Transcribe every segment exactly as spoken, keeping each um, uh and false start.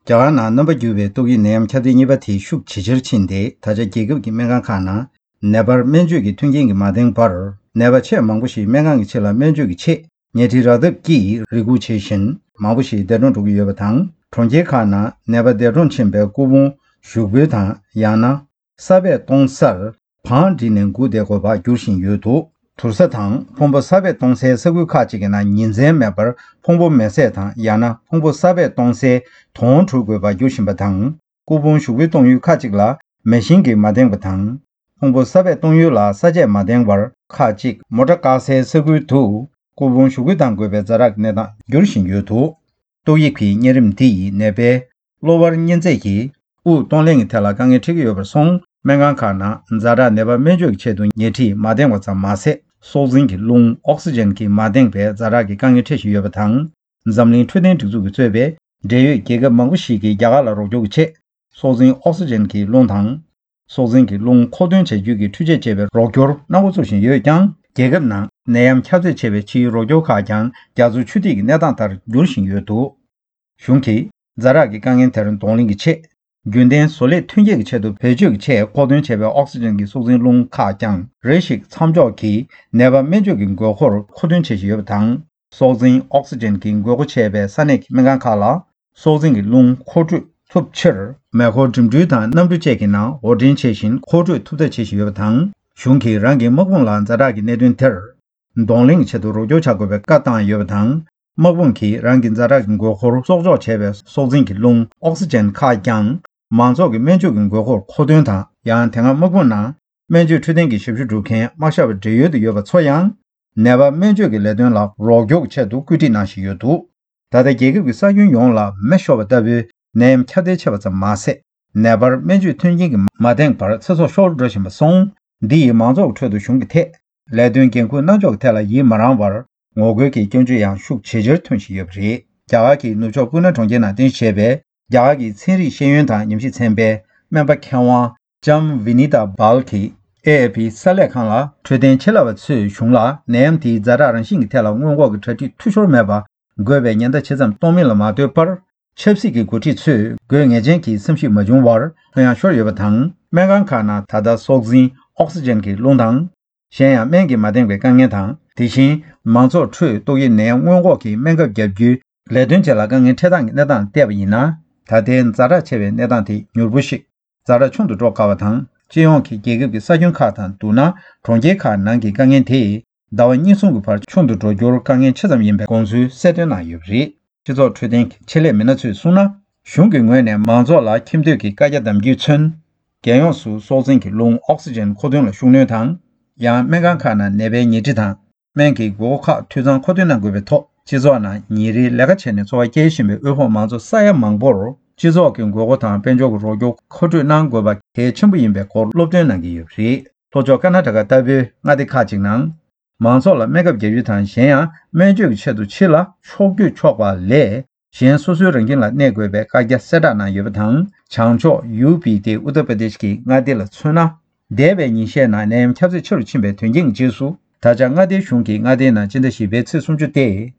རྒྱ་གར་ནང་རྣམ་པ་འགྱུར་བའི་ཏོག་དབྱིབས་ནད་ཡམས་ཁྱབ་གདལ་གཉིས་པ་དེ་ཤུགས་ཇེ་ཆེར་ཕྱིན་ཏེ། ད་ཆ་རྒྱལ་ཁབ་ཀྱི་སྨན་ཁང་ཁག་ནང་ནད་པར་སྨན་བཅོས་ཀྱི་མཐུན་རྐྱེན་གྱིས་མ་ལྡན་པར། ནད་པ་ཆེས་མང་པོ་ཞིག་སྨན་ཁང་གི་ཕྱི་ལ་སྨན་བཅོས་ཀྱི་ཆེད་ཉལ་ཁྲིའི་རག་ཐབས་ཀྱིས་རེ་སྒུག་བྱེད་བཞིན། མང་པོ་ཞིག་འདས་གྲོངས་འགྲོ་གི་ཡོད་པ་དང་། གྲོང་ཁྱེར་ཁག་ནང་ནད་པ་འདས་གྲོངས་ཕྱིན་པའི་སྐུ་ཕུང་ཞུགས་འབུལ་དང་། ཡང་ན། ས་སྦས་གཏོང་སར་བང་བསྒྲིགས་ནས་སྒུག་བསྡད་དགོས་པར་འགྱུར་བཞིན་ཡོད་འདུག་དུར་ས་དང་ཕུང་པོ་ས་སྦས་གཏོང་སའི་ས་ཁུལ་ཁག་ཅིག་གི་ནང་ཉིན་མཚན་མེད་པར་ཕུང་པོ་མེ་བསྲེགས་དང་། ཡང་ན་ཕུང་པོ་ས་སྦས་གཏོང་སའི་དོང་བྲུ་དགོས་པར་འགྱུར་བཞིན་པ་དང་། སྐུ་ཕུང་ཞུགས་འབུལ་གཏོང་ཡུལ་ཁག་ཅིག་ལ་མེ་ཤིང་གིས་མ་འདེངས་པ་དང་། ཕུང་པོ་ས་སྦས་གཏོང་ཡུལ་ལ་ས་དཔྱད་མ་འདེངས་པར། ཁག་ཅིག་མོ་ཊ་བཀག་སའི་ས་ཁུལ་དུ་སྐུ་ཕུང་ཞུགས་འབུལ་གཏང་དགོས་པའི་ཛ་དྲག་གི་གནས་སྟངས་འགྱུར་བཞིན་ཡོད་འདུག་ཏོག་དབྱིབས་ཀྱི་གཉན་རིམས་འདི་ཡིས་ནད་པའི་གློ་བར་གཉན་ཚད་ཀྱིས་དབུགས་གཏོང་ལེན་གྱི་ཐད་ལ་དཀའ་ངལ་འཕྲད་ཀྱི་ཡོད་པར་སོང་། སྨན་ཁང་ཁག་ནང་ཛ་དྲག་ནད་པ་སྨན་བཅོས་ཀྱི་ཆེད་དུ་ཉལ་ཁྲི་མ་འདེང་བ་ཙམ་མ་ཟད། སྲོག་འཛིན་གྱི་རླུང་ཨོག་སི་ཇན་གྱིས་མ་འདེངས་པའི་ཛ་དྲག་གི་དཀའ་ངལ་འཕྲད་བཞིན་ཡོད་པ་དང་། འཛམ་གླིང་འཕྲོད་བསྟེན་སྒྲིག་འཛུགས་ཀྱིས་གཙོས་པའི་འབྲེལ་ཡོད་རྒྱལ་ཁབ་མང་པོ་ཞིག་གིས་རྒྱ་གར་ལ་རོགས་སྐྱོར་གྱི་ཆེད། སྲོག་འཛིན་ཨོག་སི་ཇན་གྱི་རླུང་དང་། སྲོག་འཛིན་གྱི་རླུང་མཁོ་འདོན་བྱ་རྒྱུ་གི་འཕྲུལ་ཆས་སྤྱད་པའི་རོགས་སྐྱོར་གནང་འགོ་ཚུགས་བཞིན་ཡོད་ཀྱང་། རྒྱལ་ཁབ་ནང་ནད་ཡམས་ཁྱབ་ཚད་ཆེ་བའི་ཕྱིའི་རོགས་སྐྱོར་ཁག་ཀྱང་རྒྱ་མཚོ་ཆུ་ཐིགས་ཀྱི་གནས་སྟངས་ལྟར་འགྱུར་བཞིན་ཡོད་འདུག་གཞུང་གིས་ཛ་དྲག་གི་དཀའ་ངལ་དེར་གདོང་ལེན་གྱི་ཆེད། རྒྱུན་ལྡན་བཟོ་ལས་ཐོན་སྐྱེད་ཀྱི་ཆེད་དུ་བེད་སྤྱོད་ཀྱི་ཆེད་མཁོ་འདོན་བྱས་པའི་ཨོག་སི་ཇན་གྱི་སྲོག་འཛིན་རླུང་ཁག་ཀྱང་རེ་ཞིག་མཚམས་འཇོག་གིས་ནད་པ་སྨན་བཅོས་ཀྱི་དགོས་མཁོར་མཁོ་འདོན་བྱེད་བཞིན་ཡོད་པ་དང་། སྲོག་འཛིན་ཨོག་སི་ཇན་གྱི་དགོས་མཁོ་ཆེ་བའི་ས་གནས་ཀྱི་སྨན་ཁང་ཁག་ལ། སྲོག་འཛིན་གྱི་རླུང་མཁོ་སྤྲོད་ཐུབ་ཕྱིར། མེ་འཁོར་འགྲིམ་འགྲུལ་དང་གནམ་གྲུ་བཅས་ཀྱི་ནང་དབོར་འདྲེན་བྱེད་བཞིན་མཁོ་སྤྲོད་ཐུབ་ཐབས་བྱེད་བཞིན་ཡོད་པ་དང་། གཞུང་གིས་རང་གི་དམག་དཔུང་ལ་ཛ་དྲག་གི་གནད་དོན་དེར་གདོང་ལེན་གྱི་ཆེད་དུ་རོགས་སྐྱོར་བྱ་དགོས་པའི་བཀའ་བཏང་ཡོད་པ་དང་། དམག་དཔུང་གིས་རང་གི་ཛ་དྲག་གི་དགོས་མཁོར་གསོག་འཇོག་བྱས་པའི་སྲོག་འཛིན་གྱི་རླུང་ཨོག་སི་ཇན་ཁག་ཀྱང་མང་ཚོགས་ཀྱི་སྨན་བཅོས་ཀྱི་དགོས་མཁོར་མཁོ་འདོན་དང་། ཡང་དེ་སྔ་དམག་དཔུང་ནང་སྨན་བཅོས་འཕྲོད་བསྟེན་གྱི་ཞབས་ཞུ་སྒྲུབ་མཁན་དམག་ཞབས་བགྲེས་ཡོལ་དུ་ཡོད་པ་ཚོ་ཡང་། ནད་པ་སྨན་བཅོས་ཀྱི་ལས་དོན་ལ་རོགས་སྐྱོར་གྱི་ཆེད་དུ་བཀོད་སྒྲིག་གནང་བཞིན་ཡོད་འདུག་ད་ལྟ་རྒྱལ་ཁབ་ཀྱི་ས་ཁྱོན་ཡོངས་ལ་མེ་ཤོར་བ་ལྟ་བུའི་ནད་ཡམས་ཁྱབ་གདལ་ཆེ་བ་ཙམ་མ་ཟད། ནད་པར་སྨན་བཅོས་མཐུན་རྐྱེན་གྱིས་མ་འདེངས་པར་ཚེ་སྲོག་ཤོར་འགྲོ་བཞིན་པ་སོང་། འདི་ཡིས་མང་ཚོགས་ཀྱི་ཁྲོད་དུ་གཞུང་གི་ཐད་ལས་དོན་འགན་འཁུར་གནང་ཕྱོགས་ཀྱི་ཐད་ལ་ཡིད་མ་རངས་པར་ངོ་རྒོལ་གྱི་སྐྱོན་བརྗོད་ཡང་ཤུགས་ཇེ་ཆེར་ཐོན་བཞིན་ཡོད་པ་རེད། རྒྱ་གར་གྱི་ནུབ་ཕྱོགས་སྤུ་ན་གྲོང་ཁྱེར་ནང་རྟེན་གཞི་བྱས་པའི་རྒྱ་གར་གྱི་ཚན་རིག་ཤེས་ཡོན་དང་ཉམས་ཞིབ་ཚན་པའི་སྨན་པ་མཁས་དབང་ལྕམ་ཝི་ནི་ཏཱ་སྦལ་གྱིས་ཨེ་ཨེ་ཕི་གསར་ལས་ཁང་ལ། འཕྲོད་བསྟེན་ཆེད་ལས་པ་ཚོས་གཞུང་ལ་ནད་ཡམས་དེའི་ཛ་དྲག་རང་བཞིན་གྱི་ཐད་ལ་སྔོན་འགོག་གི་གྲ་སྒྲིག་འཐུས་ཤོར་མེད་པ་དགོས་པའི་ཉེན་བརྡ་ཇི་ཙམ་གཏོང་མིན་ལ་མ་ལྟོས་པར། ཆབ་སྲིད་ཀྱི་འགོ་ཁྲིད་ཚོས་དགོས་ངེས་ཅན་གྱི་བསམ་གཞིག་མ་བྱུང་བར་ལྷོད་ཡངས་ཤོར་ཡོད་པ་དང་། སྨན་ཁང་ཁག་ནང་ད་ལྟ་སྲོག་འཛིན་ཨོག་སི་ཇན་གྱི་རླུང་དང་། གཞན་ཡང་སྨན་གྱིས་མ་འདེངས་པའི་དཀའ་ངལ་དང་། དེ་བཞིན་མང་ཚོགས་ཁྲོད་ཏོག་དབྱིབས་ནད་སྔོན་འགོག་གི་སྨན་ཁབ་བརྒྱབ་རྒྱུའི་ལས་དོན་བཅས་ལ་དཀའ་ངལ་འཕྲད་སྟངས་ཀྱི་གནས་སྟངས་བལྟས་པ་ཡིན་ན། ད་ལྟའི་ཛ་དྲག་ཆེ་བའི་གནས་སྟངས་དེ་མྱུར་པོ་ཞིག་ཛ་དྲག་ཆུང་དུ་འགྲོ་དཀའ་བ་དང་། སྤྱི་ཡོངས་ཀྱི་རྒྱལ་ཁབ་ཀྱི་ས་ཁྱོན་ཁག་དང་བསྡུར་ན། གྲོང་ཁྱེར་ཁག་ནང་གི་དཀའ་ངལ་དེ་ཟླ་བ་གཉིས་གསུམ་གྱི་བར་ཆུང་དུ་འགྲོ་རྒྱུར་དཀའ་ངལ་ཆེ་ཙམ་ཡིན་པའི་དགོངས་ཚུལ་གསལ་སྟོན་གནང་ཡོད་པ་རེད། སྤྱི་ཚོགས་འཕྲོད་བསྟེན་གྱི་ཆེད་ལས་མི་སྣ་ཚོས་གསུངས་ན། གཞུང་གི་ངོས་ནས་མང་ཚོགས་ལ་ཁྱིམ་སྡོད་ཀྱི་བཀའ་རྒྱ་བསྡམ་རྒྱུས་མཚོན། རྒྱལ་ཡོངས་སུ་སྲོག་འཛིན་གྱི་རླུང་ཨོག་སི་ཇན་མཁོ་འདོན་ལ་ཤུགས་སྣོན་དང་། ཡང་སྨན་ཁང་ཁག་ནང་ནད་པའི་ཉལ་ཁྲི་དང་སྨན་གྱི་དགོས་མཁོ་ཁག་འཐུས་ཚང་མཁོ་འདོན་གནང་དགོས་པའི་ཐོག་སྤྱི་ཚོགས་ནང་ཉིན་རེའི་ལས་ཀ་བྱས་ནས་འཚོ་བ་སྐྱེལ་བཞིན་པའི་དབུལ་ཕོངས་མང་ཚོགས་ས་ཡ་མང་པོར་སྤྱི་ཚོགས་ཀྱི་དགོས་མཁོ་དང་དཔལ་འབྱོར་གྱི་རོགས་སྐྱོར་མཁོ་སྤྲོད་གནང་དགོས་པ་གལ་ཆེན་པོ་ཡིན་པའི་སྐོར་སློབ་སྟོན་གནང་གི་ཡོད་པ་རེད། ལྷོ་ཕྱོགས་ཀར་ན་ཊ་ཀ་ལྟ་བུའི་མངའ་སྡེ་ཁག་ཅིག་ནང་། མང་ཚོགས་ལ་སྨན་ཁབ་བརྒྱབ་རྒྱུ་དང་། གཞན་ཡང་སྨན་བཅོས་ཀྱི་ཆེད་དུ་ཕྱི་ལ་ཕྱོགས་བསྐྱོད་ཆོག་པ་ལས། གཞན་སོ་སོའི་རང་ཁྱིམ་ལ་གནས་དགོས་པའི་བཀའ་རྒྱ་གསལ་བསྒྲགས་གནང་ཡོད་པ་དང་། བྱང་ཕྱོགས་ཡུ་པི་སྟེ་ཨུ་ཏར་པར་དེཤ་གི་མངའ་སྡེ་ལ་མཚོན་ན། འདས་པའི་ཉིན་ཤས་ནང་ནད་ཡམས་ཁྱབ་ཚད་ཆེ་རུ་ཕྱིན་པའི་དོན་རྐྱེན་གྱི་རྗེས་སུ། ད་ཆ་མངའ་སྡེའི་གཞུང་གིས་མངའ་སྡེའི་ནང་སྤྱི་ཟླ་བཞི་པའི་ཚེས་སུམ་ཅུ་སྟེ།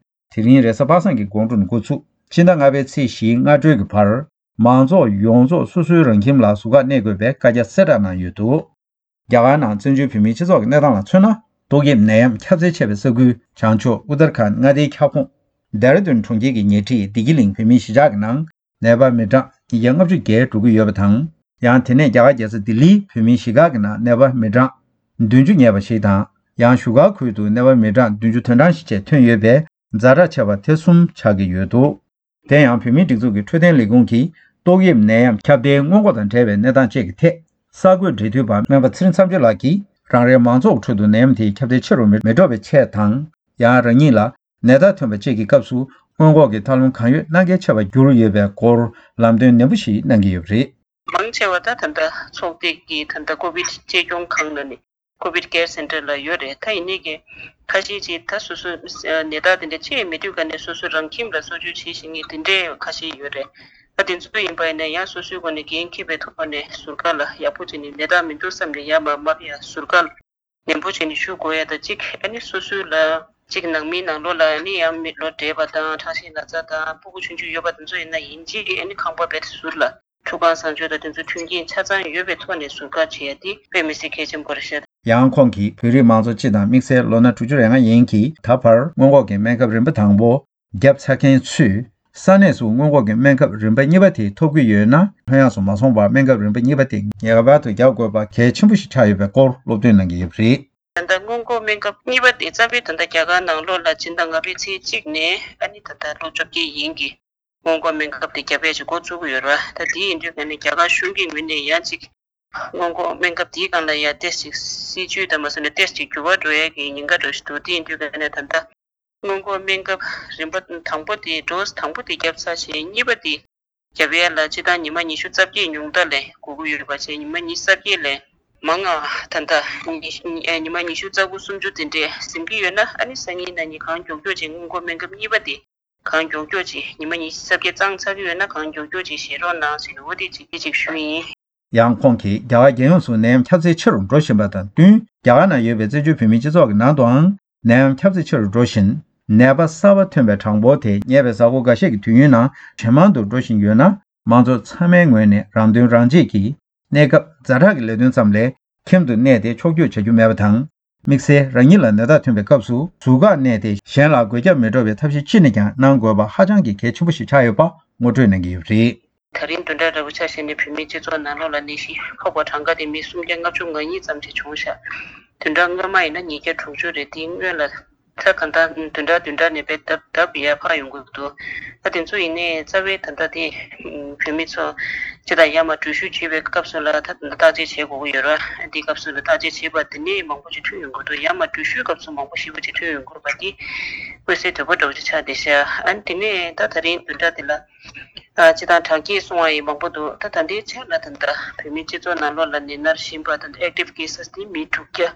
དེ་རིང་རེས་གཟའ་པ་སངས་ཀྱི་དགོང་དྲོ་ནས་འགོ་ཚུགས། སྤྱི་ཟླ་ལྔ་པའི་ཚེས་བཞིའི་སྔ་དྲོའི་གི་བར། མང་ཚོགས་ཡོངས་རྫོགས་སོ་སོའི་རང་ཁྱིམ་ལ་ཟུར་བཀག་གནས་དགོས་པའི་བཀའ་རྒྱ་གསལ་བསྒྲགས་གནང་ཡོད་འདུག་རྒྱ་གར་ནང་བཙན་བྱོལ་བོད་མིའི་སྤྱི་ཚོགས་ཀྱི་གནས་སྟངས་ལ་མཚོན་ན། ཏོག་དབྱིབས་ནད་ཡམས་ཁྱབ་ཚད་ཆེ་བའི་ས་ཁུལ་བྱང་ཕྱོགས་ཨུ་ཏར་ཁཱན་མངའ་སྡེའི་ཁྱབ་ཁོངས་ལྡེ་ར་ལྡུན་གྲོང་ཁྱེར་གྱི་ཉལ་ཁྲི་བདེ་སྐྱིད་གླིང་བོད་མིའི་གཞིས་ཆགས་ཀྱི་ནང་། ནད་པ་མི་གྲངས་ཉིས་བརྒྱ་ལྔ་བཅུ་བརྒལ་འགྲོ་གི་ཡོད་པ་དང་། ཡང་དེ་ནས་རྒྱ་གར་རྒྱལ་ས་ལྡི་ལིའི་བོད་མིའི་གཞིས་ཁག་གི་ནང་ནད་པ་མི་གྲངས་བདུན་ཅུ་ཉེ་བ་ཞིག་དང་། ཡང་བཞུགས་སྒར་ཁུལ་དུ་ནད་པ་མི་གྲངས་བདུན་ཅུ་དོན་གྲངས་ཤིག་བཅས་ཐོན་ཡོད་པས། ཛ་དྲག་ཆེ་བ་དེ་གསུམ་ཆགས་ཀྱི་ཡོད་འདུག་དེ་ཡང་བོད་མིའི་སྒྲིག་འཛུགས་ཀྱི་འཕྲོད་བསྟེན་ལས་ཁུངས་ཀྱིས་ཏོག་དབྱིབས་ནད་ཡམས་ཁྱབ་གདལ་སྔོན་འགོག་དང་འབྲེལ་བའི་གནས་སྟངས་བཅས་ཀྱི་ཐད། གསར་འགོད་འབྲེལ་མཐུད་པ་སྨན་པ་ཚེ་རིང་མཚམས་གཅོད་ལགས་ཀྱིས། རང་རེའི་མང་ཚོགས་ཁྲོད་དུ་ནད་ཡམས་དེའི་ཁྱབ་གདལ་ཆེ་རུ་མི་མི་འགྲོ་བའི་ཆེད་དང་། ཡང་རང་ཉིད་ལ་ནད་རྟགས་ཐོན་པ་བཅས་ཀྱི་སྐབས་སུ་སྔོན་འགོག་གི་ཐབས་ལམ་གང་ཡོད་གནང་གལ་ཆེ་བར་གྱུར་ཡོད་པའི་སྐོར་ལམ་སྟོན་ནན་པོ་ཞིག་གནང་གི་ཡོད་པ་རེད། མང་ཆེ་བ་ད་ད་ལྟ་ཚོགས་སྡེ་གི་ད་ལྟ་ཀོ་བིད་གཅེས་སྐྱོང་ཁང་ལ་ནི་ཀོ་བིད་ཀེར་སེན་ཊར་ལ་ཡོད་རེད། ད་ཡིན་ནའི་གི་ཁ་ཤས་ཅིག་ད་སོ་སོ་ནད་རྟགས་དེ་འདྲ་ཅིག་མེད་དུས་ག་ནས་སོ་སོ་རང་ཁྱིམ་ལ་གསོ་བཅོས་བྱེད་བཞིན་མཁན་དེ་འདྲའི་ཁ་ཤས་ཡོད་རེད། ད་དེ་ཚོ་ཡིན་པ་ཡིན་ན་ཡང་སོ་སོའི་སྒོ་ནས་འགན་འཁྱེར་བའི་ཐོག་ནས་ཟུར་བཀག་ལ་ཡག་པོ་བྱས་ནས་ནད་རྟགས་མི་འདུག་བསམ་ནས་ཡར་མར་མ་ཕེབས་ཡ་ཟུར་བཀག་ནན་པོ་བྱས་ནས་བཞུགས་དགོས་ཡ་ད་གཅིག་ཨ་ནི་སོ་སོའི་ལ་ གཅིག་ནང་མིའི་ནང་ལོགས་ལ་ནི་ཡང་མི་ལོ་བགྲེས་པ་དང་ཁྲག་ཤེད་ན་ཚ་དང་ཕྲུ་གུ་ཆུང་ཆུང་ཡོད་པ་དེ་ཚོ་ཡིན་ན་ཡིན་གཅིག་ཨ་ནི་ཁང་པ་རྦད་དེ་ཟུར་ལ་ཁྲུས་ཁང་གསང་སྤྱོད་དང་དེ་ཚོ་མཐུན་རྐྱེན་ཆ་ཚང་ཡོད་པའི་ཐོག་ནས་ཟུར་བཀག་བྱེད་ཡ་དེ་དཔེ་མི་སྲིད་གལ་ཆེན་པོ་རེད་ཤག་ཡང་ཁོང་གིས་བོད་རིགས་མང་ཚོགས་སྤྱི་དང་དམིགས་བསལ་ལོ་ན་དྲུག་ཅུ་རེ་ལྔ་ཡན་གྱིས་ད་བར་སྔོན་འགོག་གི་སྨན་ཁབ་རིམ་པ་དང་པོ་བརྒྱབ་ཚར་མཁན་ཚོས་ས་གནས་སུ་སྔོན་འགོག་གི་སྨན་ཁབ་རིམ་པ་གཉིས་པ་དེ་ཐོབ་ཀྱི་ཡོད་ན་ལྷོད་ཡངས་སུ་མ་སོང་བར་སྨན་ཁབ་རིམ་པ་གཉིས་པ་དེ་ངེས་པར་དུ་བརྒྱབ་དགོས་པ་གལ་ཆེན་པོ་ཞིག་ཆགས་ཡོད་པའི་སྐོར་སློབ་སྟོན་གནང་གི་ཡོད་པ་རེད། ད་ལྟ་སྔོན་འགོག་སྨན་ཁབ་གཉིས་པ་དེ་རྩ་བའི་ད་ལྟ་རྒྱ་གར་ནང་ལོགས་ལ་སྦྱིན་བདག་ང་ཕའི་ཚེས་གཅིག་ནས་ཨ་ནི་ད་ལྟ་ལོ་བཅོ་བརྒྱད་ཡན་གྱི་སྔོན་འགོག་སྨན་ཁབ་དེ་རྒྱབ་ཡས་ཀྱི་འགོ་བཙུགས་ཀྱི་ཡོད་རེད་བ། ད་དེ་ཡིན་དུས་ཀ་ནས་རྒྱ་གར་གཞུང་གི་ངོས་ནས་ཡང་ཅིག་སྔོན་འགོག་སྨན་ཁབ་དེའི་སྒང་ལ་ཡང་ཏོག་ཙམ་སྲིད་ཇུས་དང་མ་སོང་ནས་ཏོག་ཙམ་འགྱུར་བ་འགྲོ་ཡས་ཀྱི་ཉེན་ཁ་འདྲ་ཞིག་འདུག་དེ་ཡིན་དུས་ཀ་ནས་ད་ལྟ་སྔོན་འགོག་སྨན་ཁབ་རིམ་པ་དང་པོ་དེ་ཌོ་སི་དང་པོ་དེ་བརྒྱབ་ཚར་བྱས་གཉིས་པ་དེ་རྒྱབ་ཡས་ལ་སྤྱིར་བཏང་ཉི་མ་ཉི་ཤུ་རྩ་བརྒྱད་ཉུང་མཐའ་ལ་དགོས་ཀྱི་ཡོད་པ་བྱས་ཉི་མ་ཉི་ཤུ་རྩ་བརྒྱད་ལས་མང་ང་ད་ལྟ་ཉི་ཉི་མ་ཉི་ཤུ་རྩ་དགུ་སུམ་ཅུ་དེ་འདྲས་ཟིན་གྱི་ཡོད་ན་ཨ་ནི་སང་ཉིན་གནངས་ཉིན་གང་མགྱོགས་མགྱོགས་ཅིག་སྔོན་འགོག་སྨན་ཁབ་གཉིས་པ་དེ་གང་མགྱོགས་མགྱོགས་ཅིག་ཉི་མ་ཉི་ཤུ་རྩ་བརྒྱད་གཙང་ཚར་གྱི་ཡོད་ན་གང་མགྱོགས་མགྱོགས་ཅིག་བཞེས་རོགས་གནང་ཟེར་ནས་འོ་དེ་ཅིག་དེ་ཅིག་ཞུས་ཡིན། ཡང་ཁོང་གིས་རྒྱ་གར་རྒྱལ་ཡོངས་སུ་ནད་ཡམས་ཁྱབ་ཚད་ཆེ་རུ་འགྲོ་བཞིན་པ་དང་བསྟུན་རྒྱ་གར་ནང་ཡོད་པའི་བཙན་བྱོལ་བོད་མིའི་སྤྱི་ཚོགས་ཀྱི་ནང་དུའང་ནད་ཡམས་ཁྱབ་ཚད་ཆེ་རུ་འགྲོ་བཞིན་ནད་པ་གསར་པ་ཐོན་པའི་གྲངས་འབོར་དེ་ཉེ་བའི་གཟའ་འཁོར་འགའ་ཤས་ཀྱི་དུས་ཡུན་ནང་ཇེ་མང་དུ་འགྲོ་བཞིན་ཡོད་ན་མང་ཚོགས་ཚང་མའི་ངོས་ནས་རང་དོན་རང་གཅེས་ཀྱིས་གནས་སྐབས་ཛ་དྲག་གི་ལས་དོན་ཙམ་ལས་ཁྱིམ་དུ་གནས་ཏེ་ཕྱོགས་བསྐྱོད་བྱ་རྒྱུ་མེད་པ་དང་། དམིགས་བསལ་རང་ཉིད་ལ་ནད་རྟགས་ཐོན་པའི་སྐབས་སུ་ཟུར་བཀག་གནས་ཏེ་གཞན་ལ་འགོས་ཁྱབ་མི་འགྲོ་བའི་ཐབས་ཤེས་ཅི་ནས་ཀྱང་གནང་དགོས་པ་ཧ་ཅང་གི་གལ་ཆེན་པོ་ཞིག་ཆགས་ཡོད་པ་ངོ་སྤྲོད་གནང་གི་ཡོད་པ་རེད། ད་རིང་བདུན་ཕྲག་འདྲ་པོ་ཆ་བཞག་ནས་བོད་མིའི་སྤྱི་ཚོགས་ནང་ལོགས་ལ་ནད་གཞི་ཕོག་པ་གྲངས་ཀ་དེ་མི་སུམ་བརྒྱ་ལྔ་བཅུ་ང་གཉིས་ཙམ་ཞིག་བྱུང་ཤག་བདུན་ཕྲག་སྔོན་མ་ཡིན་ན་ཉིས་བརྒྱ་དྲུག་ཅུ་རེད། དེའི་སྔོན་ལ་ད་གང་ལྟར་བདུན་ཕྲག་བདུན་ཕྲག་ནས་དཔེ་ལྡབ་ལྡབ་ཡར་འཕར་ཡོང་གི་འདུག་ད་དེ་ཚོ་ཡིན་ནའི་རྩ་བའི་ད་ལྟ་དེ་བོད་མི་ཚོ་སྤྱི་དང་ཡར་མར་འགྲུལ་བཞུད་བྱེད་པའི་སྐབས་སུ་ལ་ད་བརྟག་དཔྱད་བྱེད་དགོས་ཀྱི་ཡོད་རེད། དེའི་སྐབས་སུ་ལ་བརྟག་དཔྱད་བྱེད་པ་དེ་ནས་མང་པོ་ཞིག་ཐོན་ཡོང་གི་འདུག་ཡར་མར་འགྲུལ་བཞུད་སྐབས་སུ་མང་པོ་ཞེ་པོ་ཅིག་ཐོན་ཡོང་གི་རེད་པ། དེ་མངོན་གསལ་དོད་པོ་འདྲ་བོ་ཅིག་ཆགས་བསྡད་ཤག་ཨ་ནི་དེ་ནས་ད་ད་རིང་བདུན་ཕྲག་འདི་ལ་ཨ་སྤྱི་བཏང་གྲངས་ཀྱིས་སོང་བ་ཡིན་མང་པོ་འདུག་ད་ད་ལྟའི་ཆར་ལ་ད་ལྟ་བོད་མིའི་སྤྱི་ཚོགས་ནང་ལོགས་ལ་ནད་མནར་བཞིན་པ་ད་ལྟ་ཨེག་ཊིབ་ཀེ་སི་དེ་མི་དྲུག་བརྒྱ་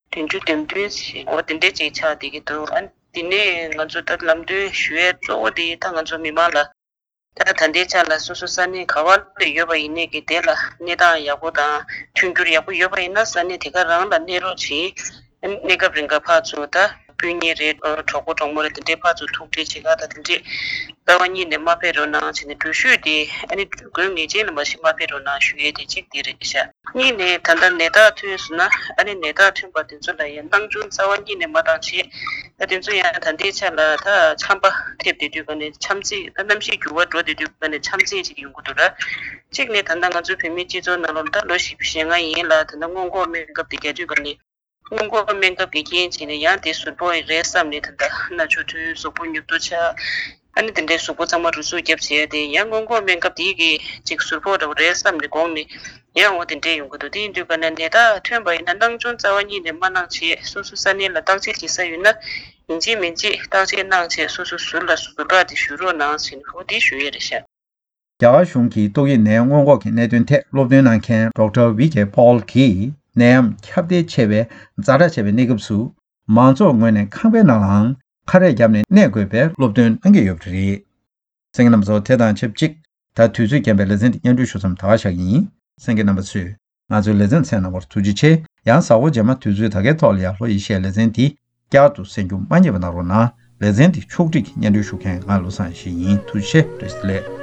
བདུན་ཅུ་དོན་བདུན་ཞིག་འོ་དེ་འདྲས་ཅིག་ཆགས་བསྡད་ཀྱི་འདུག་ཨ་ནི་དེ་ནས་ང་ཚོ་ད་ལམ་སྟོན་ཞུ་ཡས་གཙོ་བོ་དེ་ད་ང་ཚོ་མི་མང་ལ་ད་ད་ལྟའི་ཆར་ལ་སོ་སོ་ས་གནས་ག་བ་ལ་ཡོད་པ་ཡིན་ནའི་གི་དེ་ལ་གནས་སྟངས་ཡག་པོ་དང་མཐུན་འགྱུར་ཡག་པོ་ཡོད་པ་ཡིན་ན་ས་གནས་དེ་ག་རང་ལ་གནས་རོགས་བྱེད། གནས་སྐབས་རིང་ག་ཕར་ཚུར་ད་སྤུན་ཉེ་རེད་གྲོགས་པོ་གྲོགས་མོ་རེད་དེ་འདྲའི་ཕར་ཚུར་ཐུག་འཕྲད་བྱེད་ག་ད་དེ་འདྲས་རྩ་བ་ཉིད་ནས་མ་ཕེབས་རོགས་གནང་བྱས་ནས་འགྲུལ་བཞུད་དེ་ཨ་ནི་དགོས་ངེས་ཅན་ལ་མ་གཞི་མ་ཕེབས་རོགས་གནང་ཞུ་ཡས་དེ་གཅིག་དེ་རེད་ཤག་གཉིས་ནས་ད་ལྟ་ནད་རྟགས་ཐོན་སོང་ན་ཨ་ནི་ནད་རྟགས་ཐོན་པ་དེ་ཚོ་ལ་ཡང་སྣང་ཆུང་རྩ་བ་ཉིད་ནས་མ་བཏང་བྱས་ད་དེ་ཚོ་ཡང་ད་ལྟའི་ཆ་ལ་ད་ཆམ་པ་ཐེབས་བསྡད་དུས་ག་ནས་ཆམ་ཚད་ད་གནམ་གཤིས་འགྱུར་བ་འགྲོ་བསྡད་དུས་ག་ནས་ཆམ་ཚད་ཅིག་ཡོང་གི་འདུག་ར། གཅིག་ནས་ད་ལྟ་ང་ཚོའི་བོད་མིའི་སྤྱི་ཚོགས་ནང་ལོགས་ད་ལོ་བཞི་བཅུ་ཞེ་ལྔ་ཡན་ལ་ད་ལྟ་སྔོན་འགོག་སྨན་ཁབ་དེ་རྒྱག་དུས་ག་ནས་སྔོན་འགོག་སྨན་ཁབ་ཀྱི་རྐྱེན་བྱས་ནས་ཡང་དེ་ཟུར་ཕོག་རེད་བསམ་ནས་ད་ལྟ་སྣ་ཆུ་ཐོན་གཟུགས་པོ་ཉུབ་ཏོ་ཆགས། ཨ་ནི་དེ་འདྲའི་གཟུགས་པོ་ཚང་མ་རུ་ཟུག་བརྒྱབ་བྱས་ཏེ་ཡང་སྔོན་འགོག་སྨན་ཁབ་དེའི་གི་ཅིག་ཟུར་ཕོག་འདྲ་བོ་རེད་བསམ་ནས་དགོངས་ནས་ཡང་འོ་དེ་འདྲས་ཡོང་གི་འདུག་དེ་ཡིན་དུས་ག་ནས་ནད་རྟགས་ཐོན་པ་ཡིན་ན་སྣང་ཆུང་རྩ་བ་ཉིད་ནས་མ་གནང་བྱས་སོ་སོ་ས་གནས་ལ་བརྟག་དཔྱད་བྱེད་ས་ཡོད་ན་ཡིན་གཅིག་མིན་གཅིག་བརྟག་དཔྱད་གནང་བྱས་སོ་སོ་ཟུར་ལ་ཟུར་བཀག་དེ་ཞུ་རོགས་གནང་ཟེར་ནས་འོ་དེ་ཞུ་ཡས་རེད་ཤག་རྒྱ་གར་གཞུང་གིས་ཏོག་དབྱིབས་ནད་སྔོན་འགོག་གི་གནད་དོན་ཐད་སློབ་སྟོན་གནང་མཁན་ཌོག་ཊར་ཝི་ཀེ་པོལ་གྱིས་ནད་ཡམས་ཁྱབ་གདལ་ཆེ་བའི་ཛ་དྲག་ཆེ་བའི་གནས་སྐབས་སུ་མང་ཚོགས་ངོས་ནས་ཁང་པའི་ནང་ལའང་ཁ་རས་བརྒྱབ་ནས་གནས་དགོས་པའི་སློབ་སྟོན་གནང་གི་ཡོད་པ་རེད། གསན་མཁན་རྣམ་པ་ཚོ་དེ་དང་ཆབས་ཅིག་ད་དུས་ཚོད་རྐྱེན་པས་ལེ་ཚན་འདི་སྙན་སྒྲོན་ཞུ་མཚམས་ད་ག་བཞག་གི་ཡིན། གསན་མཁན་རྣམ་པ་ཚོས་ང་ཚོའི་ལེ་ཚན་གསན་གནང་བར་ཐུགས་རྗེ་ཆེ། ཡང་གཟའ་འཁོར་རྗེས་མ་དུས་ཚོད་ད་གའི་ཐོག་ལ་ཡར་ལྷོ་ཡེ་ཤེས་ལེ་ཚན་འདི་བསྐྱར་དུ་གསན་རྒྱུ་མ་བསྙེལ་བ་གནང་རོགས་གནང་། ལེ་ཚན་འདི་ཕྱོགས་སྒྲིག་གིས་སྙན་སྒྲོན་ཞུ་མཁན་ང་བློ་བཟང་ཡེ་ཤེས་ཡིན། ཐུགས་རྗེ་ཆེ། བཀྲ་ཤིས་བདེ་ལེགས།